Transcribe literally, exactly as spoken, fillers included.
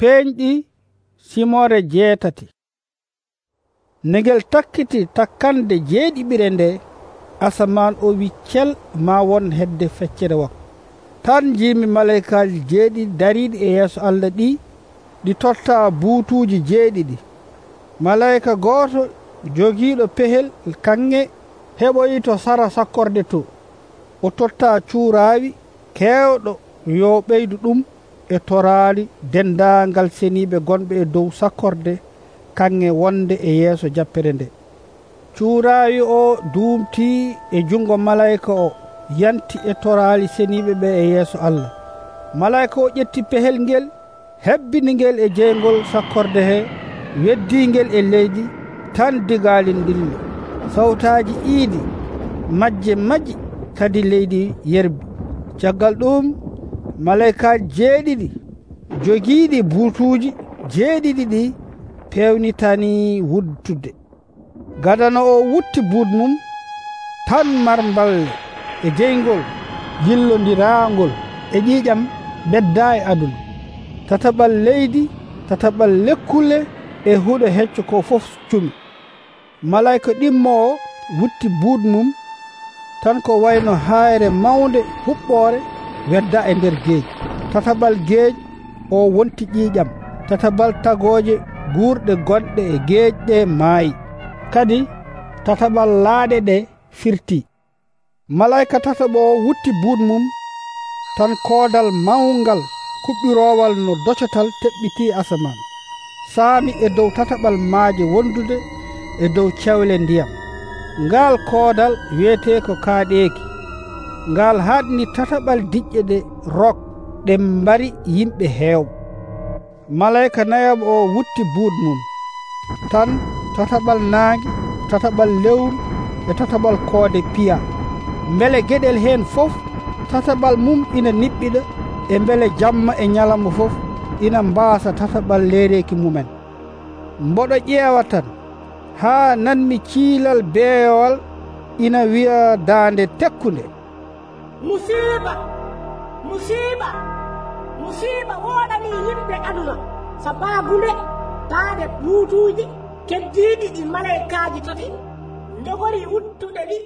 peeñɗi simore jeetati. nde ngel takkiti takkande jeeɗiɓire nde, asaman o wiccel ma won hedde feccere wakko. Tan jimi malaikaji jeeɗiɗi dariɗi e yeeso Allah ɗi ɗi totta buutuji jeeɗiɗi. Malaika gooto jogiiɗo pehel kanŋe heɓoyi to sara sakkorde to, o totta cuuraawi keewɗo yo ɓeydu ɗum e toraali dendaangal seniiɓe gonɓe e dow sakkorde kanŋe wonde e yeeso jappere nde. Cuuraawi o duumtii e jungo malayka o yanti e toraali seniiɓe ɓe e yeeso Allah. Malayka o ƴetti pehel ngel, hebbini ngel e jeygol sakkorde he, weddii ngel e leydi, tan digaali ndilli. Sawtaaji iidi majje maji, kadi leydi yerbi. Caggal ɗum malaykaaji jeeɗiɗi jogiiɗi buutuuji jeeɗiɗi ɗi pewnitanii wuttude. Gadano o wutti buut mum, tan marmballe e jeygol yillondiraangol e ƴiiƴam beddaa e aduna. Tataɓal leydi, tataɓal lekkule e huɗo hecco ko fof cumi. Malayka ɗimmoowo wutti buut mum, tan ko wayno haayre mawnde huɓɓoore wedda e nder geej. Tataɓal geej o wonti ƴiiƴam, tataɓal tagooje guurɗe gonɗe e geej ɗe maayi, kadi tataɓal laaɗe ɗe firti. Malayka tataɓo o wutti buut mum, tan koodal mawngal kuɓɓiroowal no docotal teɓɓiti asaman, saami e dow tataɓal maaje wondude e dow cewle ndiyam. Ngal koodal wiyete ko kaaɗeeki. Ngal haɗni tataɓal diƴƴe ɗe rok ɗe mbari yimɓe heewɓe. Malayka nayaɓo o wutti buut mum, tan tataɓal naange, tataɓal lewru e tataɓal koode piya. Mbele geɗel heen fof tataɓal mum ina niɓɓiɗa, e mbele jamma e ñalawma fof ina mbaasa tataɓal leereeki mumen. Mboɗo ƴeewa tan haa nanmi ciilal beeyowal ina wi'a daande tekkunde, musiiba musiiba musiiba woɗani yimɓe aduna sabaabude daande buutuuji keddiiɗi ɗi malaykaaji tati ndogori wuttuɗe ɗi